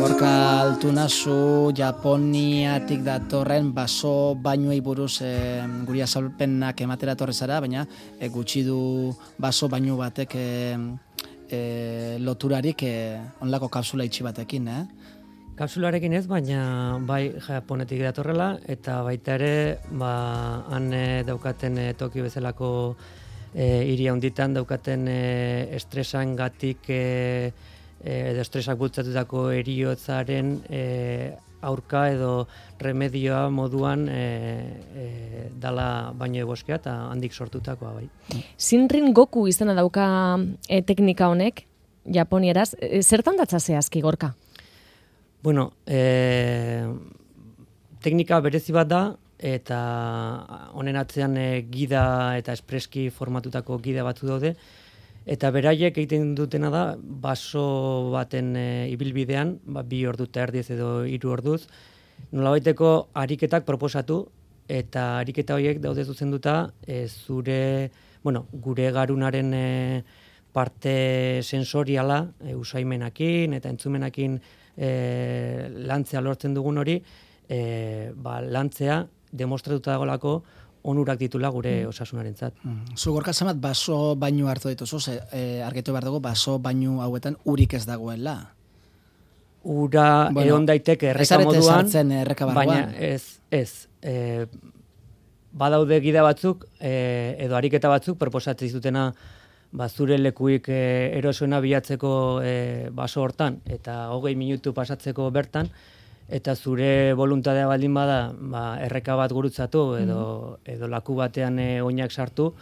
Gorka Altunazu Japoniatik datorren baso bainuei buruz guri azalpenak ematera etorri zara, baina gutxi du baso bainu batek loturarik onlako kapsula itxi batekin, Kapsularekin ez, baina bai Japonetik datorrela, eta baita ere, han daukaten Tokio bezalako hiri handitan daukaten estresangatik edo estresak bultzatutako heriotzaren aurka edo remedioa moduan dala baino boskea eta handik sortutakoa bai. Shinrin Goku izena dauka teknika honek, japonieraz. Zertan datza zehazki, Gorka? Bueno, teknika berezi bat da, eta honen atzean gida eta espreski formatutako gida batzu daude, eta beraiek egiten dutena da, baso baten ibilbidean, 2 ordu eta erdiz edo 3 orduz, nolabaiteko ariketak proposatu, eta ariketa horiek daude zuzenduta gure garunaren parte sensoriala, usaimenakin eta entzumenakin lantzea lortzen dugun hori, lantzea demostratuta dagoelako onurak ditula gure osasunarentzat. Zu Gorka zenbat baso bainu hartu dituzu, argitu behar dugu baso bainu hauetan urik ez dagoela. Ura egon daiteke erreka moduan, baina ez. Badaude gida batzuk edo ariketa batzuk proposatzen dutena zure lekuik erosoena bilatzeko baso hortan eta 20 minutu pasatzeko bertan, eta zure voluntadea baldin bada erreka bat gurutzatu edo laku batean oinak sartu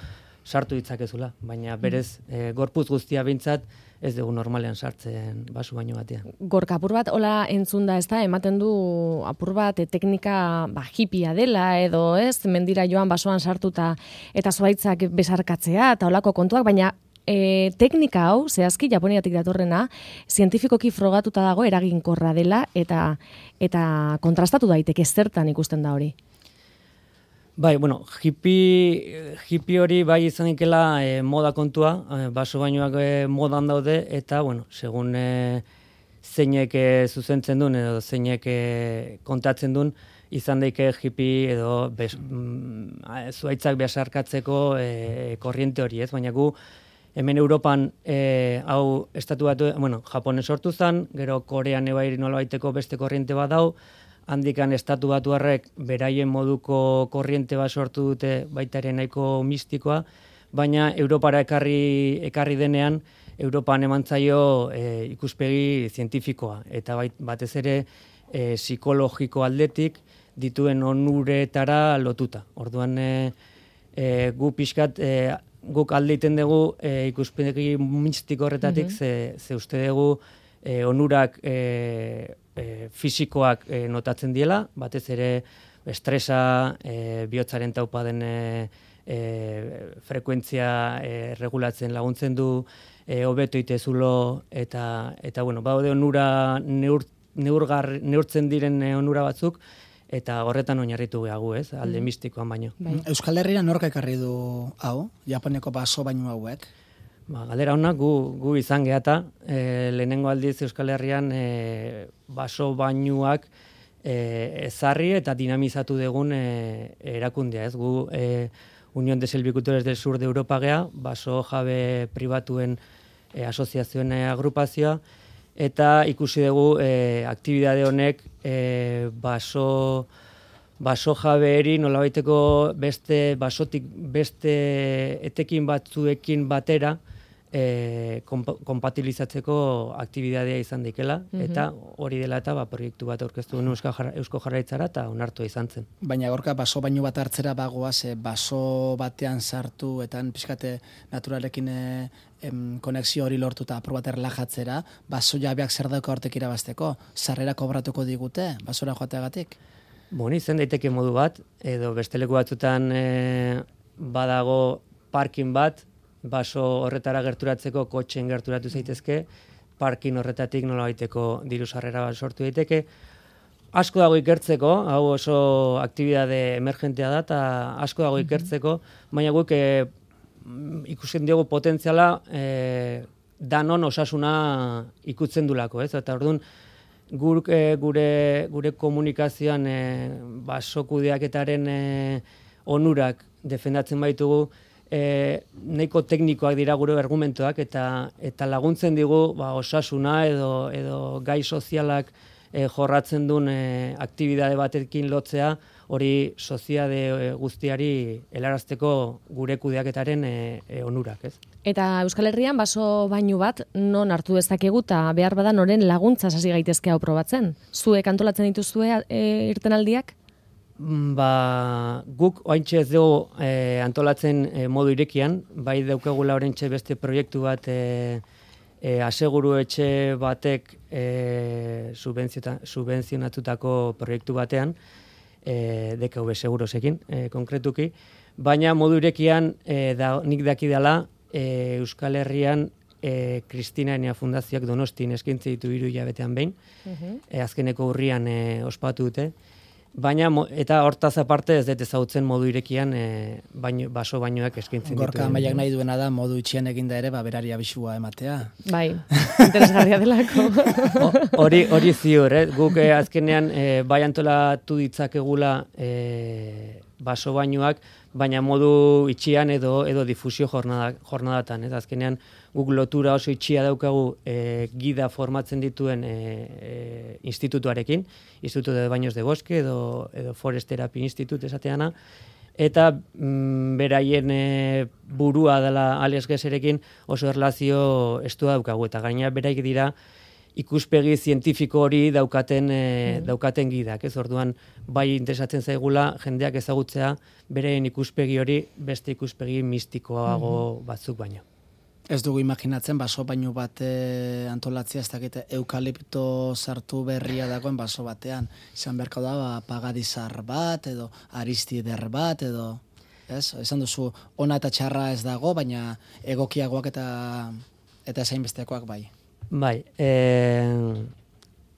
ditzakezula, baina berez gorputz guztia behintzat ez dugu normalean sartzen baso baino batean. Gorka, apur bat hola entzun da, ezta, ematen du apur bat teknika hipia dela edo ez, mendira joan basoan sartuta eta zuaitzak besarkatzea eta holako kontuak, baina teknika hau, zehazki Japoniatik datorrena, zientifikoki frogatuta dago eraginkorra dela eta kontrastatu daiteke zertan ikusten da hori. Bai, hippie hori bai izan ikela moda kontua, baso bainuak modan daude, eta, segun zeinek zuzentzen duen edo zeinek kontatzen duen, izan daike hippie edo zuaitzak besarkatzeko korriente hori, ez? Baina gu hemen Europan hau estatu batu, Japonen sortu zen, gero Korean ebairi nolabaiteko beste korriente bat dau, handikan estatu batuarrek beraien moduko korriente bat sortu dute baita ere nahiko mistikoa, baina Europara ekarri denean, Europan eman zaio ikuspegi zientifikoa, eta batez ere psikologiko aldetik dituen onuretara lotuta. Orduan gu pixkat guk alde iten dugu ikuspegi mistiko horretatik, ze uste dugu onurak fisikoak notatzen diela, batez ere estresa, bihotzaren taupa den frekuentzia regulatzen laguntzen du, hobeto itezulo, eta baude onura neurtzen diren onura batzuk, eta horretan oinarritu gehagu, ez, alde mistikoan baino. Euskal Herrian nork ekarri du hau, Japoniako baso bainu hauek? Galdera honak gu izan gehata, lehenengo aldiz Euskal Herrian baso bainuak ezarri eta dinamizatu dugun erakundea, ez? Gu Unión de Silvicultores del Sur de Europa gea, baso jabe pribatuen asoziazioen agrupazioa, eta ikusi dugu aktibidade honek baso jabeeri nolabaiteko beste basotik beste etekin batzuekin batera kompatibilizatzeko aktibidadea izan daikela, eta hori dela eta proiektu bat aurkeztu duen Eusko Jaurlaritzara eta onartua izan zen. Baina Gorka, baso baino bat hartzera bagoaz, baso batean sartu eta pixkate naturalekin konexio hori lortu eta apur bat erlajatzera, baso jabeak zer dauka hortek irabazteko? Sarrera kobratuko digute, basora joateagatik? Izan daiteke modu bat, edo beste leku batzutan badago parking bat, baso horretara gerturatzeko kotxen gerturatu zaitezke, parking horretatik nolabaiteko diru sarrera bat sortu daiteke. Asko dago ikertzeko, hau oso aktibidade emergentea da, eta asko dago ikertzeko, baina guk ikusten diogu potentziala danon osasuna ikutzen dulako, ez? Eta orduan, gure komunikazioan baso kudeaketaren onurak defendatzen baitugu, nahiko teknikoak dira gure argumentoak eta laguntzen digu osasuna edo gai sozialak jorratzen duen aktibidade batekin lotzea, hori soziade guztiari helarazteko gure kudeaketaren onurak, ez? Eta Euskal Herrian baso bainu bat non hartu dezakegu eta behar bada noren laguntza hasi gaitezke hau probatzen? Zuek antolatzen dituzue irtenaldiak? Guk oraintxe ez dugu antolatzen modu irekian, bai daukagula oraintxe beste proiektu bat aseguru etxe batek subentzionatutako proiektu batean, DKV segurosekin konkretuki, baina modu irekian nik dakidala Euskal Herrian Kristina Enea Fundazioak Donostin eskaintze ditu 3 hilabetean behin, azkeneko urrian ospatu dute, baina eta hortaz aparte ez dut ezagutzen modu irekian baso bainoak eskaintzen ditu. Gorka Amaiak nahi duena da modu itxian eginda ere berari abisua ematea. Bai, interesgarria delako. Hori ziur, guk azkenean bai antolatu ditzakegula baso bainoak, baina modu itxian edo difusio jornadatan. Azkenean guk lotura oso itxia daukagu gida formatzen dituen institutuarekin, Instituto de Baños de Bosque edo Forest Therapy Institute esateana, eta beraien burua dela Alex Gesserekin oso erlazio estua daukagu, eta gaina beraik dira ikuspegi zientifiko hori daukaten gidak, ez? Orduan bai interesatzen zaigula jendeak ezagutzea beraien ikuspegi hori beste ikuspegi mistikoago batzuk baino. Ez dugu imaginatzen baso bainu bat antolatzea, ez dakite eukalipto sartu berria dagoen baso batean. Izan beharko da pagadizar bat edo aristider bat edo, ez? Esan duzu ona eta txarra ez dago, baina egokiagoak eta esain bestekoak bai. Bai,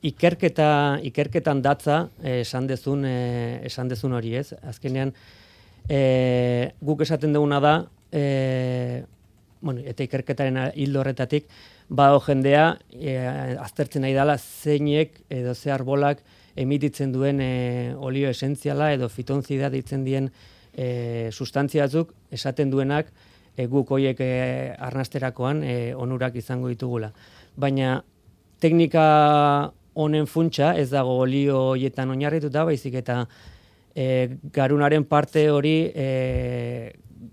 ikerketan datza esan dezun hori, ez? Azkenean guk esaten duguna da, eta ikerketaren hildo horretatik, jendea aztertzen nahi dela zeinek edo ze arbolak emititzen duen olio esentziala edo fitonzida ditzen dien sustantzia batzuk esaten duenak guk hoiek arnasterakoan onurak izango ditugula. Baina teknika honen funtsa ez dago olio hoietan oinarrituta, baizik eta garunaren parte hori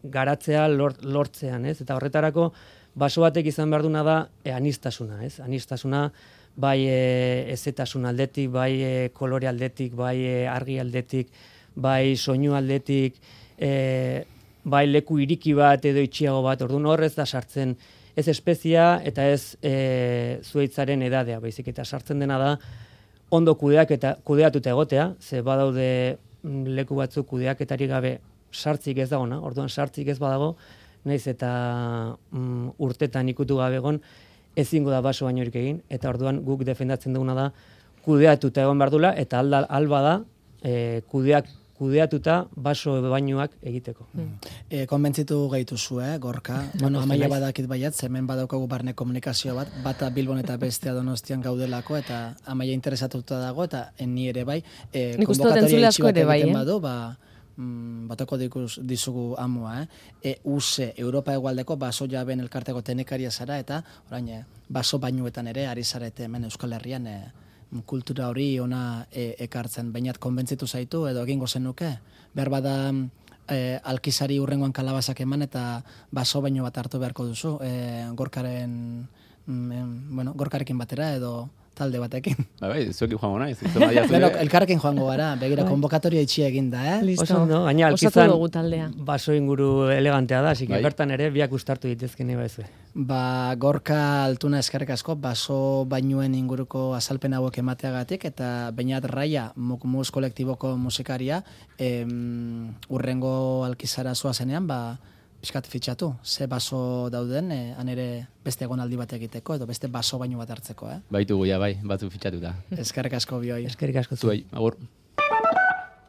garatzea lortzean, ez? Eta horretarako baso batek izan behar duna da aniztasuna, ez? Aniztasuna bai ezetasun aldetik, bai kolore aldetik, bai argi aldetik, bai soinu aldetik, bai leku iriki bat edo itxiago bat, orduan horrez da sartzen ez espezia eta ez zuhaitzaren edadea, baizik eta sartzen dena da ondo kudeatuta egotea, ze badaude leku batzuk kudeaketari gabe sartzik ez dagona, orduan sartzik ez badago, naiz eta urtetan ikutu gabe egon, ezingo da baso bainorik egin, eta orduan guk defendatzen duguna da kudeatuta egon behar dula, eta alba da kudeatuta baso bainoak egiteko. Konbentzitu gaituzu, Gorka? Amaia badakit baiat, hemen badaukagu barne komunikazio bat, bata Bilbon eta bestea Donostian gaudelako, eta Amaia interesatuta dago, eta ni ere bai, konbokatoria itxi bat egiten badu, batako dizugu amua, USE, Europa Hegoaldeko baso jaben elkarteko tenekaria zara, eta orain baso bainuetan ere ari zarete hemen Euskal Herrian kultura hori ona ekartzen. Bainat konbentzitu zaitu edo egingo zenuke? Behar bada alkizari urrengoan kalabazak eman eta baso baino bat hartu beharko duzu, gorkarekin batera edo talde batekin. Bai, zuekin joango naiz. Elkarrekin joango gara, begira konbokatoria itxia eginda, Listo. Gaina alkizan dugu taldea. Baso inguru elegantea da, así que bertan ere biak ustartu ditezken eba ezue. Gorka Altuna eskerrik asko, baso bainuen inguruko azalpen hauek emateagatik, eta Beñat Raia, Mukmuz kolektiboko musikaria, urrengo alkizara zoazenean, piskat fitxatu, ze baso dauden, han ere beste egonaldi bat egiteko, edo beste baso baino bat hartzeko, Baitugu, bai, batzu fitxatuta. Eskerrik asko bioi. Eskerrik asko zuei, agur.